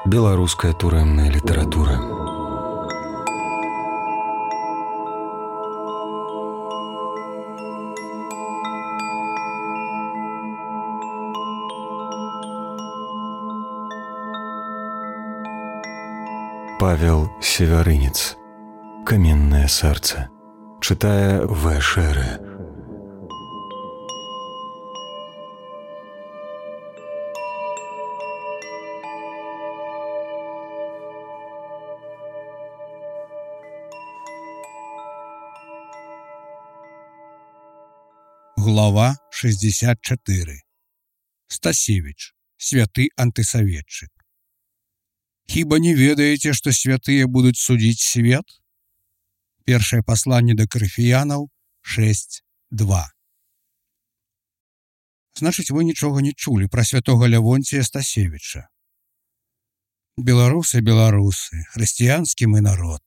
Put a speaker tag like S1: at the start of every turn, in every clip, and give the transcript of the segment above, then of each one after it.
S1: Беларуская турэмная літаратура. Павел Севярынец. «Каменное сердце». Читая В. Шере.
S2: Глава 64. Стасевич. Святы антысоветчык. Хіба не ведаеце, што святыя будуць судзіць свет? Першае пасланне да Карыфіянаў 6:2. Значыць, вы нічога не чулі пра святога Лявонція Стасевіча. Беларусы, хрысціянскі мы народ.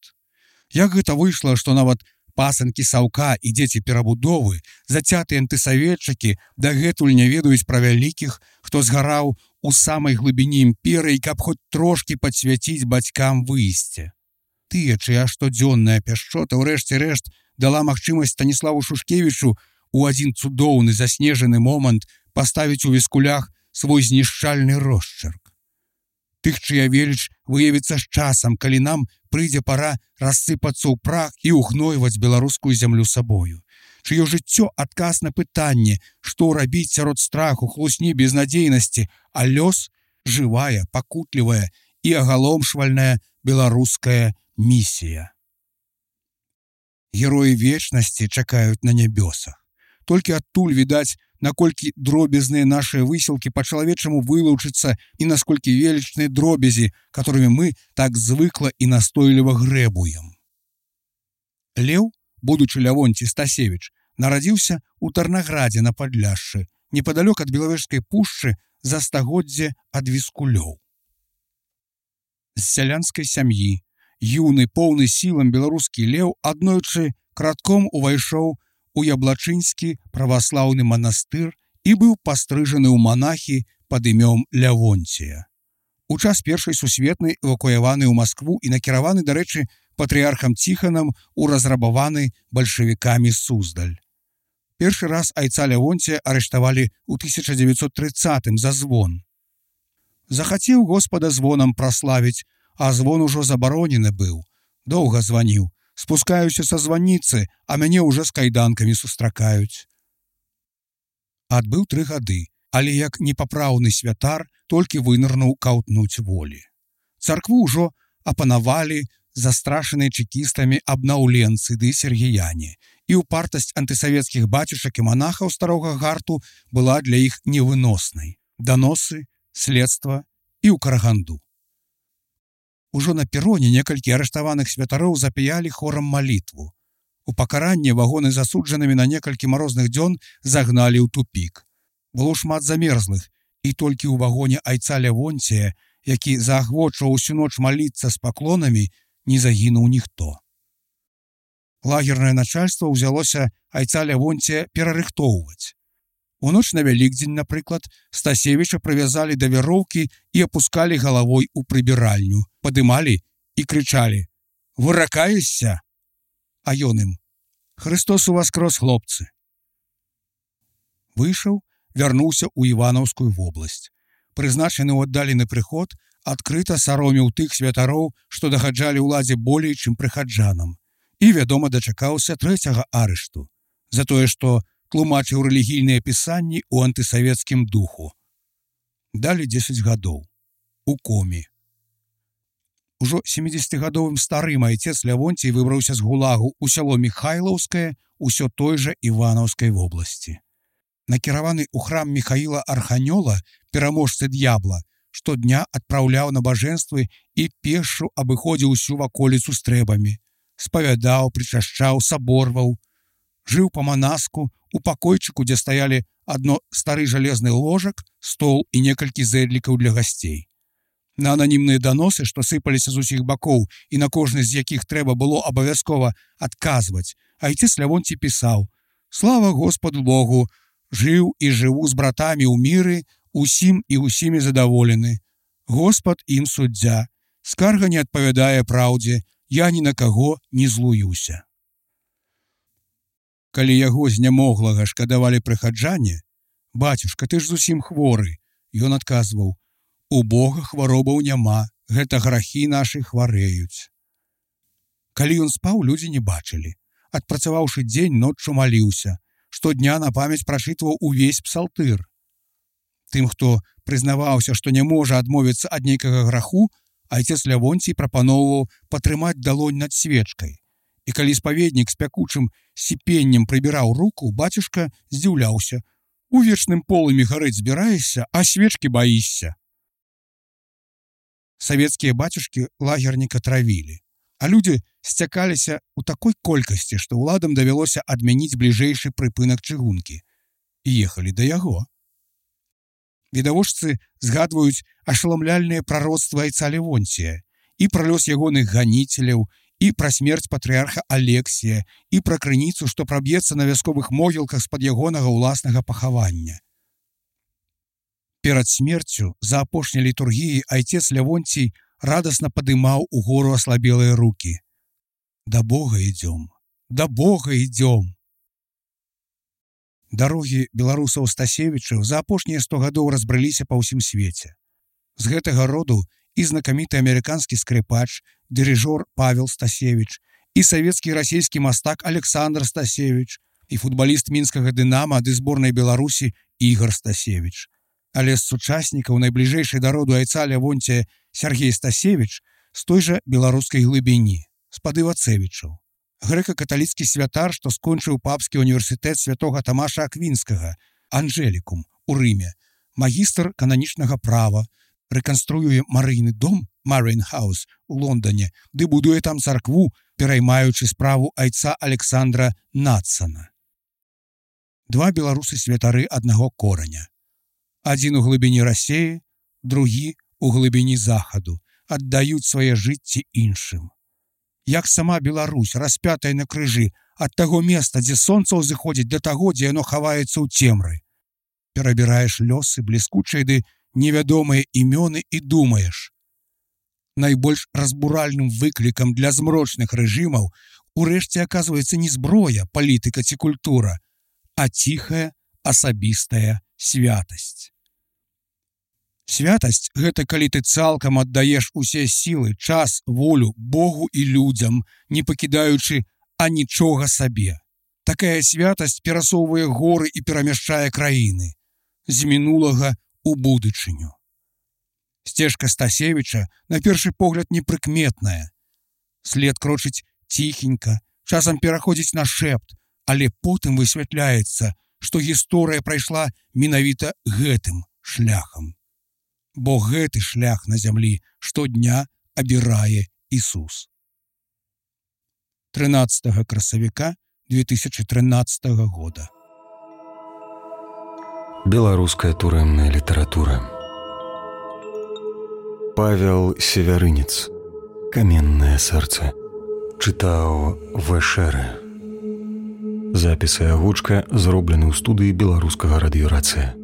S2: Як гэта выйшла, што нават пасынкі Саўка і дзеці перабудовы, зацятыя антысаветчыкі, дагэтуль не ведаюць пра вялікіх, хто згараў у самай глыбіні імперыі, каб хоць трошкі падсвяціць бацькам выйсце. Тыя, чыя штодзённая пяшчота, ўрэшце рэшт, дала магчымасць Станіславу Шушкевічу у адзін цудоўны заснежаны момант паставіць у віскулях свой знішчальны росчырк. Тых, чыя веліч выявіцца з часам, калі нам прыйдзе пара рассыпацца ў прах і ўгнойваць беларускую зямлю сабою. Чыё жыццё адказ на пытанне, што рабіць сярод страху, хлусні, безнадзейнасці, а лёс жывая, пакутлівая і агаломшвальная беларуская місія. Героі вечнасці чакаюць на нябёсах. Толькі адтуль відаць, наколькі дробязныя нашыя высілкі па-чалавечаму вылучыцца і насколькі велічныя дробязі, которымі мы так звыкла і настойліва грэбуем. Леў, будучы Лявонцій Стасевіч, нарадзіўся ў Тарнаградзе на Падляшшы, непадалёк ад Белавежскай пушчы за стагоддзе ад віскулёў. З сялянскай сям'і, юны, поўны сілам беларускі Леў аднойчы кратком увайшоў у Яблачынскі праваслаўны манастыр і быў пастрыжаны ў манахі пад імём Лявонція. У час Першай сусветнай эвакуяваны ў Маскву і накіраваны, дарэчы, патрыархам Ціханам у разрабаваны бальшавікамі Суздаль. Першы раз айца Лявонція арыштавалі ў 1930-м за звон. Захацеў Господа звонам праславіць, а звон ужо забаронены быў. Доўга званіў. Спускаюся са званіцы, а мяне ўжо з кайданкамі сустракаюць. Адбыў 3 гады, але як непапраўны святар толькі вынырнуў каўтнуць волі. Царкву ўжо апанавалі застрашаныя чекістамі абнаўленцы ды сергіяне, і ўпартасць антысавецкіх бацюшак і манахаў старога гарту была для іх невыноснай. Даносы, следства і ў Караганду. Ужо на пероне некалькі арыштаваных святароў запяялі хорам малітву. У пакаранне вагоны з асуджанымі на некалькі марозных дзён загналі ў тупік. Было шмат замерзлых, і толькі ў вагоне айца Лявонція, які заахвочваў усю ноч маліцца з паклонамі, не загінуў ніхто. Лагернае начальство ўзялося айца Лявонція перарыхтоўваць. У ноч на Вялікдзень, напрыклад, Стасевіча прывязалі да вяроўкі і апускалі галавой у прыбіральню, падымалі і крычалі: «Выракаешся?» А ён ім: «Христос уваскрос, хлопцы!» Выйшаў, вярнуўся ў Іванаўскую вобласць. Прызначаны ў аддалены прыход, адкрыта сароміў тых святароў, што дагаджалі ўладзе болей, чым прыхаджанам. І, вядома, дачакаўся 3-го арышту за тое, што тлумачыў рэлігійныя пісанні ў антысавецкім духу. Далі 10 гадоў. У коме. Ужо 70-гадовым старым айцец Лявонцій выбраўся з гулагу ў сяло Міхайлаўскае, усё той жа Іванаўскай вобласці. Накіраваны ў храм Міхаіла Арханёла, пераможцы д'ябла, штодня адпраўляў набажэнствы і пешшу абыходзіў усю ваколіцу стрэбамі. Спавядаў, прычашчаў, саборваў. Жыў па-манаску у пакойчыку, дзе стаялі адно стары жалезны ложак, стол і некалькі зэдлікаў для гасцей. На ананімныя даносы, што сыпаліся з усіх бакоў і на кожны з якіх трэба было абавязкова адказваць, айцец Лявонцій пісаў: «Слава Господу Богу! Жыў і жыву з братамі ў міры, усім і усімі задаволены. Господ ім суддзя, скарга не адпавядае праўдзе, я ні на каго не злуюся. Калі яго знямоглага шкадавалі прыхаджане, «Бацюшка, ты ж зусім хворы», ён адказваў: «У Бога хваробаў няма, гэта грахі нашы хварэюць». Калі ён спаў, людзі не бачылі. Адпрацаваўшы дзень, ноччу маліўся. Штодня на памяць прачытваў увесь псалтыр. Тым, хто прызнаваўся, што не можа адмовіцца ад нейкага граху, айцец Лявонцій прапаноўваў патрымаць далонь над свечкай. І калі спаведнік з пякучым сіпеннем прыбіраў руку, бацюшка здзіўляўся: «У вечным полымі гарэць збіраешся, а свечкі баішся». Савецкія бацюшкі лагерніка травілі, а людзі сцякаліся ў такой колькасці, што ўладам давялося адмяніць бліжэйшы прыпынак чыгункі і ехалі да яго. Відавочцы згадваюць ашаламляльныя прароцтвы айца Лявонція і пра лёс ягоных ганіцеляў, і пра смерць патрыарха Алексія, і пра крыніцу, што праб'ецца на вясковых могілках з-пад ягонага ўласнага пахавання. Перад смерцю за апошняй літургіяй айцец Лявонцій радасна падымаў угору аслабелыя рукі. «Да Бога ідём, да Бога ідём». Дарогі беларусаў Стасевічаў за апошнія 100 гадоў разбрыліся па ўсім свеце. З гэтага роду і знакаміты амерыканскі скрыпач, дырыжор Павел Стасевіч, і савецкі і расійскі мастак Александр Стасевіч, і футбаліст мінскага «Дынама» ды зборнай Беларусі Ігор Стасевіч. Але з сучаснікаў найбліжэйшай да роду айца Лявонція Сергей Стасевіч з той жа беларускай глыбіні, з-пад Івацэвічаў. Грэка-каталіцкі святар, што скончыў папскі універсітэт святога Тамаша Аквінскага, Анжелікум, у Рыме, магістр кананічнага права, рэканструюе Марыйны дом, Марыйн Хаус, у Лондоне, ды будуе там царкву, пераймаючы справу айца Александра Надсана. Два беларусы-святары аднаго кораня. Адзін у глыбіні Расеі, другі у глыбіні захаду, аддаюць свае жыцці іншым. Як сама Беларусь, распятая на крыжы, ад таго места, дзе сонца ўзыходзіць, да таго, дзе яно хаваецца ў цемры. Перабіраеш лёсы, бліскучыя ды невядомыя імёны і думаеш. Найбольш разбуральным выклікам для змрочных рэжымаў урэшце аказваецца не зброя, палітыка ці культура, а ціхая асабістая святасць. Святасць – гэта калі ты цалкам аддаеш усе сілы, час, волю Богу і людзям, не пакідаючы анічога сабе. Такая святасць перасоўвае горы і перамяшчае краіны. З мінулага ў будучыню. Сцежка Стасевіча на першы погляд непрыкметная. След крочыць ціхенька, часам пераходзіць на шэпт, але потым высвятляецца, што гісторыя прайшла менавіта гэтым шляхам. Бо гэты шлях на зямлі штодня абірае Ісус. 13 красавіка 2013 года.
S1: Беларуская турэмная літаратура. Павел Севярынец. «Каменное сэрца». Чытаў В.Ш.Р. Запісы агучка зроблены ў студыі беларускага радыёрацыя.